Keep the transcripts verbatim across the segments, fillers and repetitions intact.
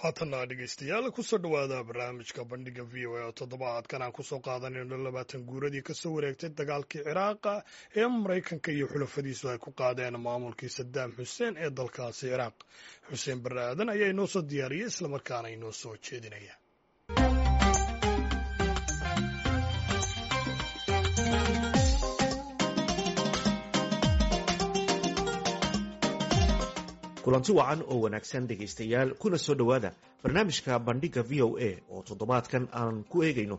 Haatanna dhegeystayaal, kusoo dhowaada barnaamijka Bandhiga V O A oo toddobaadkan aan kusoo qaadanayno labaatan guuradii kasoo wareegtay dagaalkii Ciraaqa ee Maraykanka iyo xulafadiisu ay ku qaadeen maamulkii Sadaam Xuseen ee dalkaasi Ciraaq. Xuseen Barre Aadan ayaa inoo soo diyaariyey, islamarkaana inoo soo jeedinaya. Kulanti wacan oo wanaagsan dhegaystayaal, kuna soo dhowaada barnaamijka Bandhigga V O A oo toddobaadkan aan ku eegayno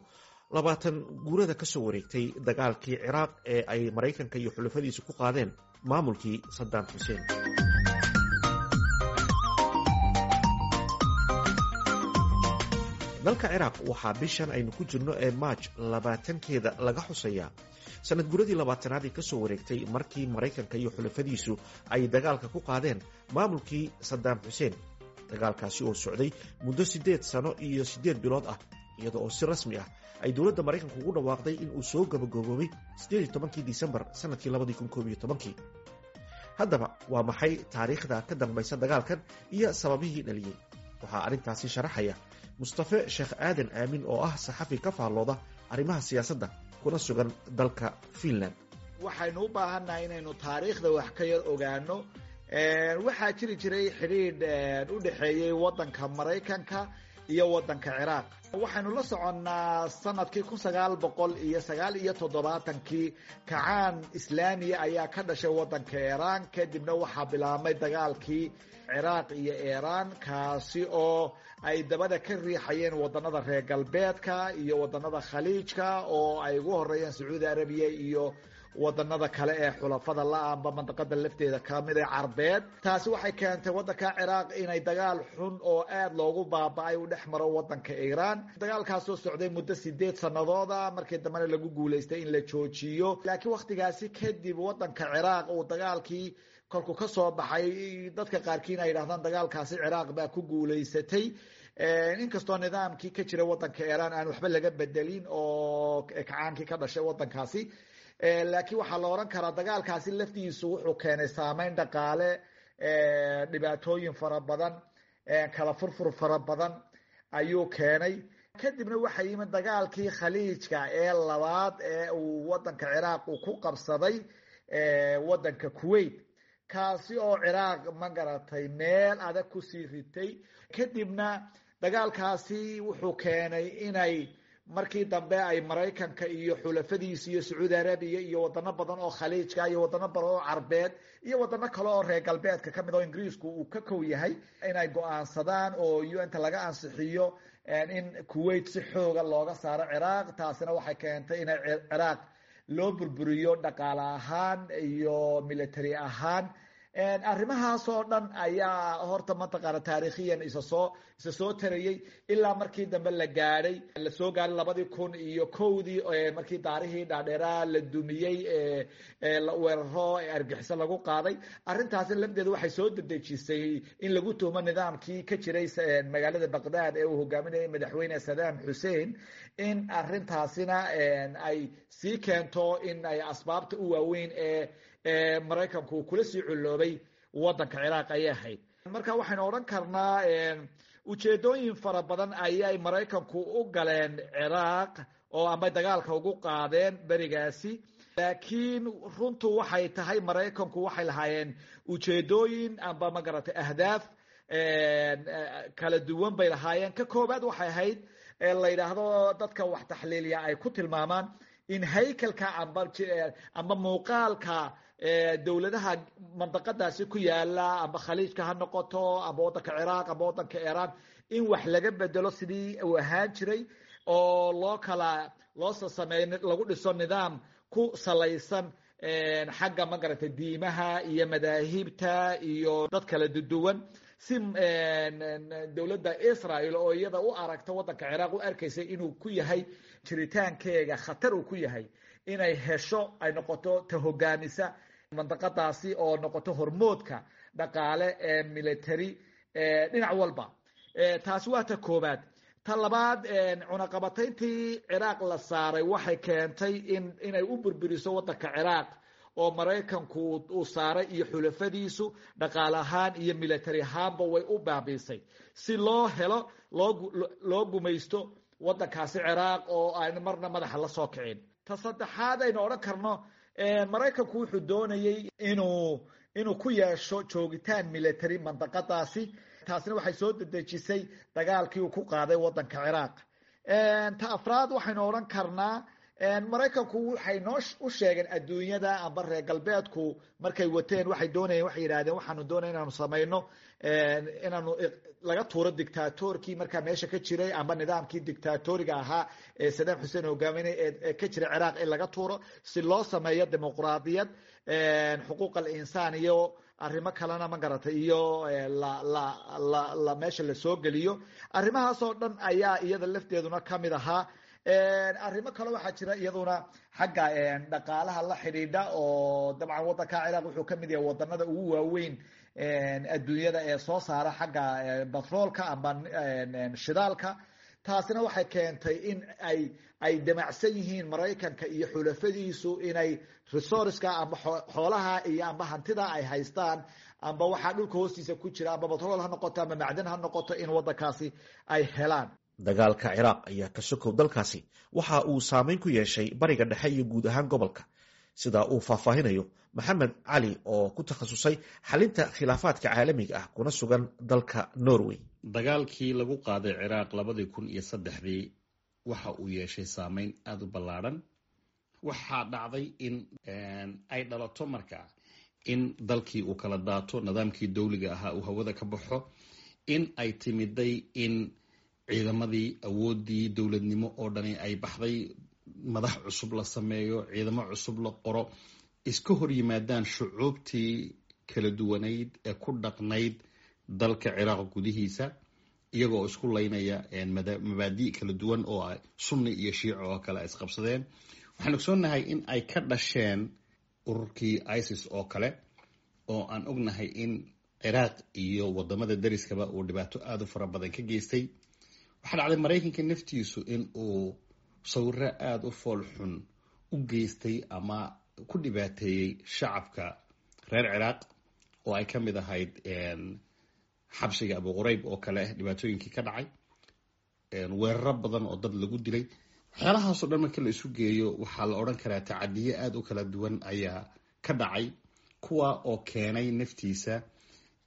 labaatan guurada ka soo wareegtay dagaalkii Ciraaq ee ay Maraykanka iyo xulafadiisu ku qaadeen maamulkii Saddam Xuseen. Dalka Ciraaq waxaa bishan aynu ku jirno ee Maaj labaatankeeda laga xusayaa sanad guuradii labaatanaad ee kasoo wareegtay markii Maraykanka iyo xulafadiisu ay dagaalka ku qaadeen maamulkii Saddam Xuseen, dagaalkaasi oo socday muddo siddeed sano iyo siddeed bilood ah, iyada oo si rasmi ah ay dowladda Maraykanka ugu dhawaaqday in uu soo gabagaboobay siddeed iyo tobankii Disembar sanadkii labadii kun koob iyo tobankii. Haddaba waa maxay taariikhda ka dambaysa dagaalkan iyo sababihii dhaliyey? Waxaa arrintaasi sharaxaya Mustafe Sheekh Aadan Aamin oo ah saxafi ka faallooda arrimaha siyaasadda kuna sugan dalka Finland. Waxaynu u baahannahay inaynu taariikhda wax ka yar ogaano. Waxaa jiri jiray xidhiidh u dhexeeyey waddanka Maraykanka iyo waddanka Ciraaq. Waxaynu la soconnaa sanadkii kun sagaal boqol iyo sagaal iyo toddobaatankii kacaan islaamiya ayaa ka dhashay waddanka Iiraan. Kadibna waxaa bilaabmay dagaalkii Ciraaq iyo Iiraan, kaasi oo ay dabada ka riixayeen waddanada reer galbeedka iyo waddanada Khaliijka, oo ay ugu horeeyeen Sacuudi Arabiya iyo wadanada kale ee xulafada la-aanba mandaqada lafteeda kamid ee Carbeed. Taasi waxay keentay waddanka Ciraaq inay dagaal xun oo aada loogu baaba-ay u dhex maro waddanka Iiraan, dagaalkaasoo socday muddo sideed sanadooda, markii dambena lagu guulaystay in la joojiyo. Laakiin wakhtigaasi kadib waddanka Ciraaq uu dagaalkii kolku ka soo baxay, dadka qaarkiin ay yidhahdaan dagaalkaasi Ciraaq baa ku guulaysatay, inkastoo nidaamkii ka jira waddanka Iiraan aan waxba laga bedelin oo kacaankii ka dhashay waddankaasi. Laakiin waxaa la odhan karaa dagaalkaasi laftiisu wuxuu keenay saameyn dhaqaale, dhibaatooyin fara badan, kala furfur fara badan ayuu keenay. Kadibna waxaa yimid dagaalkii Khaliijka ee labaad ee uu waddanka Ciraaq uu ku qabsaday waddanka Kuwait, kaasi oo Ciraaq ma garatay meel adag kusii ritay. Kadibna dagaalkaasi wuxuu keenay inay markii dambe ay Maraykanka iyo xulafadiisa iyo Sacuudi Arabiya iyo wadano badan oo Khaliijka iyo wadano badan oo Carbeed iyo wadano kale oo reer galbeedka kamid oo Ingiriisku uu ka kow yahay inay go-aansadaan oo U N ta laga ansixiyo in Kuwait si xooga looga saaro Ciraaq. Taasina waxay keentay inay Ciraaq loo burburiyo dhaqaale ahaan iyo military ahaan. Arrimahaas oo dhan ayaa horta mataqaana taariikhiyan isa soo isa soo tarayey ilaa markii dambe la gaadhay lasoo gaadhay labadii kun iyo kowdii, markii daarihii dhaadheeraa la dumiyey, weeraro argixiso lagu qaaday. Arrintaasi lafteeda waxay soo dedejisay in lagu tuhmo nidaamkii ka jiray magaalada Baqdaad ee uu hogaaminayay madaxweyne Saddam Xussein, in arrintaasina ay sii keento in ay asbaabta u waaweyn ee Maraykanku uu kula sii culloobay waddanka Ciraaq ayay ahayd. Marka waxaynu odhan karnaa ujeedooyin fara badan ayay Maraykanku u galeen Ciraaq oo ama dagaalka ugu qaadeen berigaasi. Laakiin runtu waxay tahay Maraykanku waxay lahaayeen ujeedooyin amba ma garatay ahdaaf kala duwan bay lahaayeen. Ka koobaad waxay ahayd la yidhaahdo dadka wax taxliiliya ay ku tilmaamaan in haykalka amba amba muuqaalka dowladaha mandaqadaasi ku yaala, amba Khaliijka ha noqoto, amba waddanka Ciraaq, amba waddanka Iiraan, in wax laga bedelo sidii uu ahaan jiray oo loo kala loo sameeyo, lagu dhiso nidaam ku salaysan xagga ma garatay diimaha iyo madaahibta iyo dad kala duwan, si dowladda Israel oo iyada u aragta waddanka Ciraaq u arkaysay inuu ku yahay jiritaankeega khatar uu ku yahay, inay hesho ay noqoto ta hogaamisa mandaqadaasi oo noqoto hormoodka dhaqaale ee military dhinac walba. Taasi waa ta koobaad. Ta labaad, cunaqabatayntii Ciraaq la saaray waxay keentay in inay u burburiso waddanka Ciraaq oo Maraykanku uu saaray iyo xulafadiisu dhaqaale ahaan iyo military ahaanba way u baabiisay si loo helo loo loo gumaysto waddankaasi Ciraaq oo aan marna madaxa la soo kicin. Ta saddexaad aynu odhan karno, Maraykanku wuxuu doonayay inuu inuu ku yeesho joogitaan military mandaqadaasi. Taasina waxay soo dedejisay dagaalkii uu ku qaaday waddanka Ciraaq. Ta afraad waxaynu odhan karnaa, Maraykanku waxay noo u sheegeen adduunyada amba reer galbeedku markay wateen waxay doonayeen, waxay yidhahdeen waxaanu doonaya inaanu samayno inaanu laga tuuro dictatorkii markaa meesha ka jiray amba nidaamkii dictatoriga ahaa ee Saddam Xuseen hogaaminay ee ka jiray Ciraaq in laga tuuro si loo sameeyo dimuqraadiyad, xuquuq al insaan iyo arrimo kalena, ma garatay, iyo la la la la meesha lasoo geliyo. Arrimahaasoo dhan ayaa iyada lafteeduna kamid ahaa. Arrimo kale waxaa jira iyaduna xagga dhaqaalaha la xidhiidha, oo dabcan waddanka Ciraaq wuxuu kamid yahay wadanada ugu waaweyn adduunyada ee soo saara xagga batroolka amba shidaalka. Taasina waxay keentay in ay ay damacsan yihiin Maraykanka iyo xulafadiisu inay resourceka amba xoolaha iyo amba hantida ay haystaan amba waxaa dhulka hoostiisa ku jira, amba batrool ha noqoto amba macdan ha noqoto, in waddankaasi ay helaan. Dagaalka Ciraaq ayaa ka sokow dalkaasi waxa uu saameyn ku yeeshay Bariga Dhexe iyo guud ahaan gobolka, sida uu faahfaahinayo Maxamed Cali oo ku takhasusay xalinta khilaafaadka caalamiga ah kuna sugan dalka Norway. Dagaalkii lagu qaaday Ciraaq labadii kun iyo saddexdii waxa uu yeeshay saameyn aada u ballaadhan. Waxaa dhacday in ay dhalato markaa in dalkii uu kala daato, nidaamkii dowliga ahaa uu hawada ka baxo, in ay timiday in ciidamadii awooddii dowladnimo oo dhani ay baxday, madax cusub la sameeyo, ciidamo cusub la qoro, iska hor yimaadaan shucuubtii kala duwanayd ee ku dhaqnayd dalka Ciraaq gudihiisa, iyagoo isku laynaya mabaadi' kala duwan oo Sunni iyo Shiico oo kale ay isqabsadeen. Waxaan ogsoonnahay in ay ka dhasheen ururkii ISIS oo kale, oo aan ognahay in Ciraaq iyo wadamada dariskaba uu dhibaato aada u fara badan ka geystay. Waxaa dhacday Maraykanka naftiisu in uu sawiro aada u fool xun u geystay ama ku dhibaateeyey shacabka reer Ciraaq, oo ay ka mid ahayd xabsiga Abu Qurayb oo kale dhibaatooyinkii ka dhacay, weeraro badan oo dad lagu dilay. Waxyaalahaasoo dhan marka la isu geeyo, waxaa la odhan karaa tacadiye aada u kala duwan ayaa ka dhacay, kuwa oo keenay naftiisa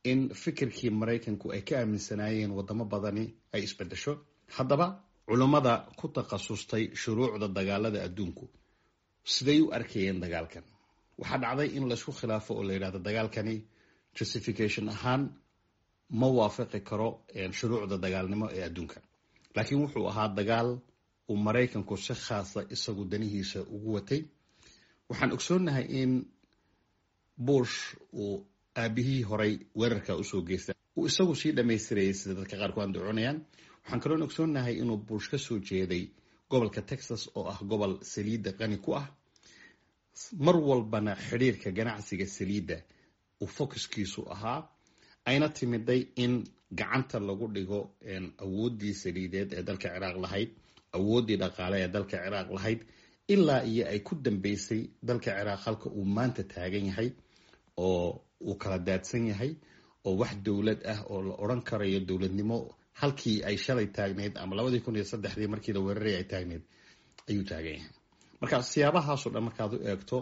in fikirkii Maraykanku ay ka aaminsanaayeen wadamo badani ay isbedesho. Haddaba culummada ku takhasustay shuruucda dagaalada adduunku siday u arkayeen dagaalkan? Waxaa dhacday in laysku khilaafo oo la yidhahdo dagaalkani justification ahaan ma waafaqi karo shuruucda dagaalnimo ee adduunka, laakiin wuxuu ahaa dagaal uu Maraykanku si khaasa isagu danihiisa ugu watay. Waxaan ogsoonnahay in Bush uu aabihii horay weerarka usoo geystay uu isagu sii dhamaystirayay, sida dadka qaar ku andacoonayaan. Waxaan kaloon ogsoonnahay inuu Bush ka soo jeeday gobolka Texas, oo ah gobol saliidda qani ku ah, mar walbana xidhiirka ganacsiga saliidda uu focuskiisu ahaa, ayna timiday in gacanta lagu dhigo awooddii saliideed ee dalka Ciraaq lahayd, awooddii dhaqaale ee dalka Ciraaq lahayd, ilaa iyo ay ku dambeysay dalka Ciraaq halka uu maanta taagan yahay, oo uu kala daadsan yahay, oo wax dowlad ah oo la odhan karayo dowladnimo halkii ay shalay taagneyd ama labadii kun iyo saddexdii markii la weeraray ay taagneyd ayuu taagan yahay. Marka siyaabahaasoo dhan markaad u eegto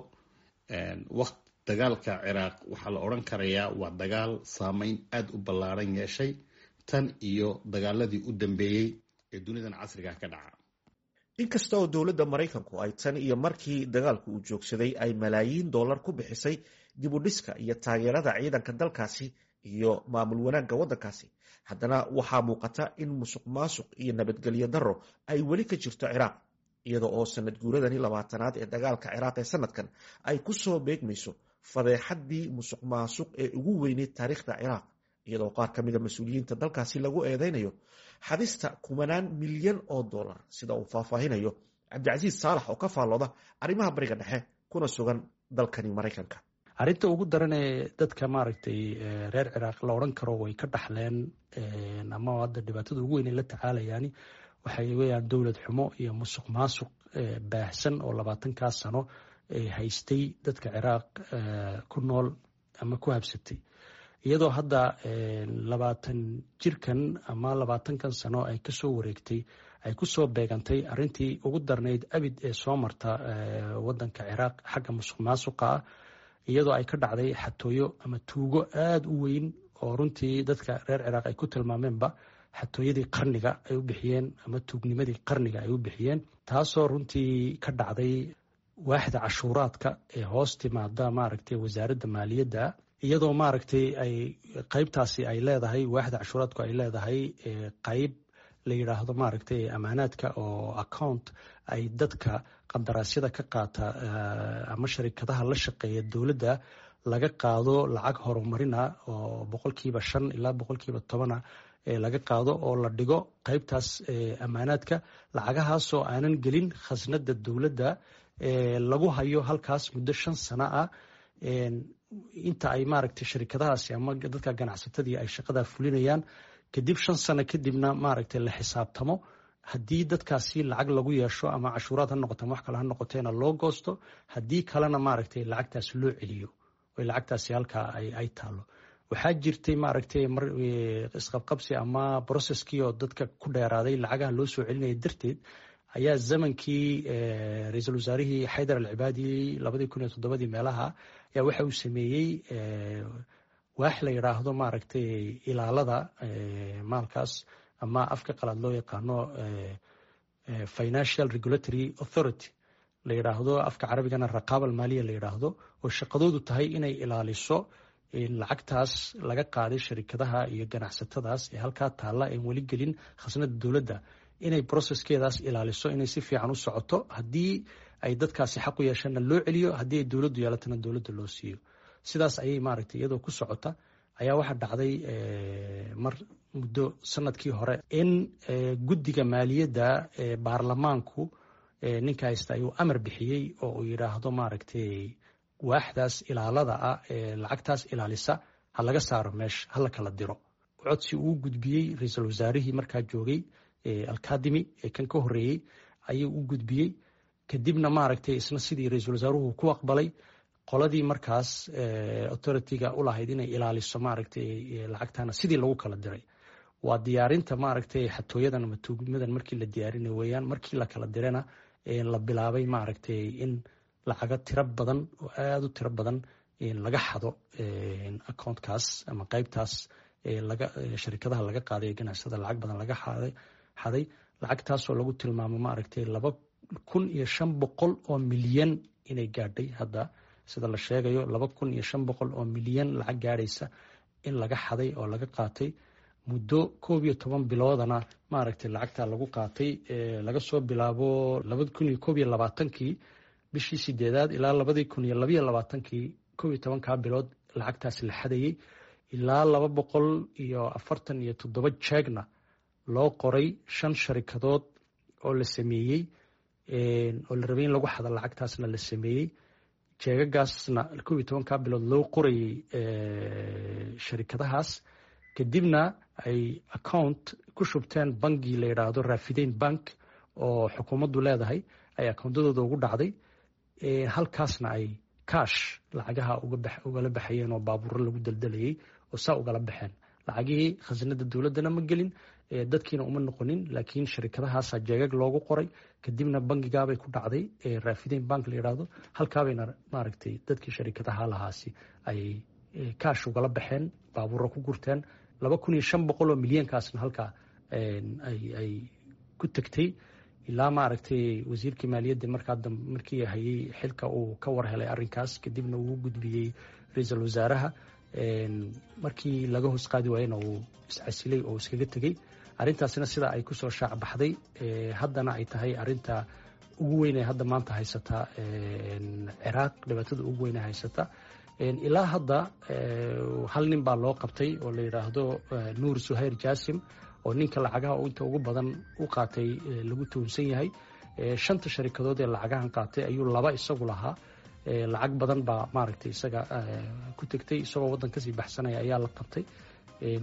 waqt dagaalka Ciraaq, waxaa la odhan karayaa waa dagaal saameyn aada u ballaaran yeeshay tan iyo dagaaladii u dambeeyey ee dunidan casriga ka dhaca. Inkasta oo dowladda Maraykanku ay tan iyo markii dagaalku uu joogsaday ay malaayiin dollar ku bixisay dib u dhiska iyo taageerada ciidanka dalkaasi iyo maamul wanaagga waddankaasi, haddana waxaa muuqata in musuq maasuq iyo nabadgelyo darro ay weli ka jirto Ciraaq, iyada oo sanad guuradani labaatanaad ee dagaalka Ciraaq ee sanadkan ay ku soo beegmayso fadeexaddii musuq maasuq ee ugu weyneyd taariikhda Ciraaq, iyadoo qaar ka mida mas-uuliyiinta dalkaasi lagu eedeynayo xadista kumanaan milyan oo dollar, sida uu faahfaahinayo Cabdicasiis Saalax oo ka faallooda arrimaha Bariga Dhexe kuna sugan dalkani Maraykanka. Arrinta ugu daran ee dadka maaragtay reer Ciraaq la odhan karo way ka dhaxleen ama hadda dhibaatada ugu weyn ay la tacaalayaani waxay weyaan dowlad xumo iyo musuq maasuq baahsan oo labaatankaas sano haystay dadka Ciraaq ku nool ama ku habsatay, iyadoo hadda labaatan jirkan ama labaatankan sano ay kasoo wareegtay ay kusoo beegantay arrintii ugu darnayd abid ee soo marta wadanka Ciraaq xagga musuq maasuqa ah, iyadoo ay ka dhacday xatooyo ama tuugo aada u weyn oo runtii dadka reer Ciraaq ay ku tilmaameenba xatooyadii qarniga ay u bixiyeen ama tuugnimadii qarniga ay u bixiyeen, taasoo runtii ka dhacday waaxda cashuuraadka ee hoos timaada maaragtay wasaaradda maaliyadda, iyadoo maaragtay ay qeybtaasi ay leedahay waaxda cashuuraadku ay leedahay qeyb la yidhaahdo maaragtay amaanaadka oo account ay dadka qandaraasyada ka qaata ama sharikadaha la shaqeeya dowladda laga qaado lacag horumarina oo boqolkiiba shan ilaa boqolkiiba tobana laga qaado oo la dhigo qeybtaas amaanaadka, lacagahaasoo aanan gelin khasnada dowladda lagu hayo halkaas muddo shan sano ah inta ay maaragtay sharikadahaasi ama dadka ganacsatadii ay shaqadaa fulinayaan. Kadib shan sano kadibna maaragtay la xisaabtamo, haddii dadkaasi lacag lagu yeesho ama cashuuraad ha noqoto ama wax kale ha noqoteena loo goosto, haddii kalena maaragtay lacagtaasi loo celiyo oy lacagtaasi halkaa ay taalo. Waxaa jirtay maaragtay mar isqabqabsi ama brocesskii oo dadka ku dheeraaday lacagaha loo soo celinaya darteed ayaa zamankii ra-iisul wasaarihii Xaydar Alcibaadi labadii kun iyo toddobadii meelaha ayaa waxa uu sameeyey waax la yidhaahdo maaragtay ilaalada maalkaas ama afka qalaad loo yaqaano Financial Regulatory Authority la yidhaahdo, afka carabigana Raqaaba Almaaliya la yidhaahdo, oo shaqadoodu tahay inay ilaaliso lacagtaas laga qaaday sharikadaha iyo ganacsatadaas ee halkaa taalla een weli gelin khasnada dowladda, inay processkeedaas ilaaliso inay si fiican u socoto, haddii ay dadkaasi xaq u yeeshaanna loo celiyo, haddii ay dowladdu yeelatana dowladda loo siiyo. Sidaas ayay maaragtay iyadoo ku socota ayaa waxaa dhacday mar muddo sanadkii hore in guddiga maaliyadda ee baarlamaanku ninka haysta ayuu amar bixiyey oo uu yidhaahdo maaragtay waaxdaas ilaalada ah ee lacagtaas ilaalisa ha laga saaro meesha, ha la kala diro. Codsi uu gudbiyey ra-iisul wasaarihii markaa joogay Alkadimi ee kan ka horreeyey ayuu u gudbiyey, kadibna maaragtay isna sidii ra-iisul wasaaruhu ku aqbalay qoladii markaas authority-ga u lahayd inay ilaaliso maaragtay lacagtana sidii lagu kala diray. Waa diyaarinta maaragtay xatooyadan ama tuugmadan markii la diyaarinay weeyaan. Markii la kala dirana la bilaabay maaragtay in lacago tiro badan oo aada u tiro badan laga xado accountkaas ama qeybtaas laga sharikadaha laga qaaday ganacsada lacag badan laga xaday xaday lacagtaasoo lagu tilmaamo maaragtay laba kun iyo shan boqol oo milyan inay gaadhay hadda sida la sheegayo, laba kun iyo shan boqol oo milyan lacag gaadhaysa in laga xaday oo laga qaatay muddo koob iyo toban biloodana maaragtay lacagtaa lagu qaatay laga soo bilaabo labadi kun iyo koob iyo labaatankii bishii sideedaad ilaa labadii kun iyo labiyo labaatankii, koob iyo tobankaa bilood lacagtaasi la xadayey, ilaa laba boqol iyo afartan iyo toddoba jeegna loo qoray shan sharikadood oo la sameeyey oo la rabay in lagu xado lacagtaasna la sameeyey, jeegagaasna koob iyo tobankaa bilood loo qorayey sharikadahaas, kadibna ay account ku shubteen bangi la yidhaahdo Rafidain Bank oo xukuumaddu leedahay ay accountadooda ugu dhacday, halkaasna ay cash lacagaha ugala baxayeen oo baabuuro lagu daldalayay oo saa ugala baxeen lacagihii. Khasnada dowladdana ma gelin, dadkiina uma noqonin, laakiin sharikadahaasaa jeegag loogu qoray, kadibna bangigaabay ku dhacday Rafidain Bank la yidhaahdo, halkaabayna maaragtay dadkii sharikadaha lahaasi ay kaash ugala baxeen, baabuuro ku gurteen, laba kun iyo shan boqol oo milyankaasna halkaa ay ku tegtay ilaa maaragtay wasiirkii maaliyadda markaa markii hayay xilka uu ka war helay arrinkaas, kadibna uu gudbiyey ra-iisul wasaaraha, markii laga hoos qaadi waayena uu iscasilay oo iskaga tegey. Arrintaasina sida ay kusoo shaac baxday haddana ay tahay arrinta ugu weyn ee hadda maanta haysata Ciraaq, dhibaatada ugu weyn ee haysata ilaa hadda. Hal nin baa loo qabtay oo la yidhaahdo Nuur Suhayr Jaasim oo ninka lacagaha inta ugu badan u qaatay lagu tuhunsan yahay. Shanta sharikadood ee lacagahan qaatay ayuu laba isagu lahaa, lacag badan baa maaragtay isaga ku tegtay, isagoo waddan kasii baxsanaya ayaa la qabtay,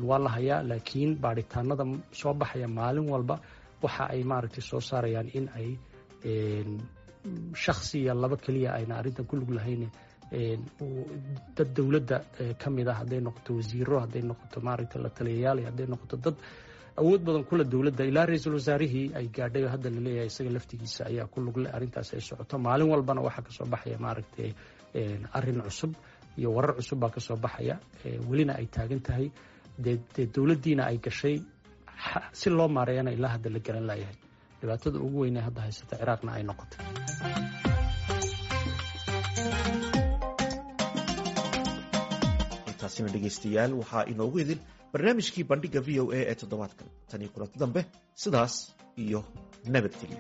waa la hayaa, laakiin baadhitaanada soo baxaya maalin walba waxa ay maaragtay soo saarayaan in ay Shaksiya laba keliya ayna arrintan ku lug lahayn, dad dowladda ka mid ah, hadday noqoto wasiiro, hadday noqoto maaragtay la taliyayaal, hadday noqoto dad awood badan kula dowladda, ilaa ra-iisul wasaarihii ay gaadhay oo hadda laleeyahay isaga laftigiisa ayaa ku lugle. Arrintaas ay socoto maalin walbana waxaa kasoo baxaya maaragtay arrin cusub iyo warar cusub baa kasoo baxaya, welina ay taagan tahay. Dee dee dowladdiina ay gashay si loo maareeyana ilaa hadda la garan laayahay, dhibaatada ugu weynee hadda haysata Ciraaqna ay noqotay. Intaasina dhegaystayaal waxaa inoogu idin barnaamijkii Bandhigga V O A ee toddobaadkan. Tan iyo kulanti dambe, sidaas iyo nabadgelyo.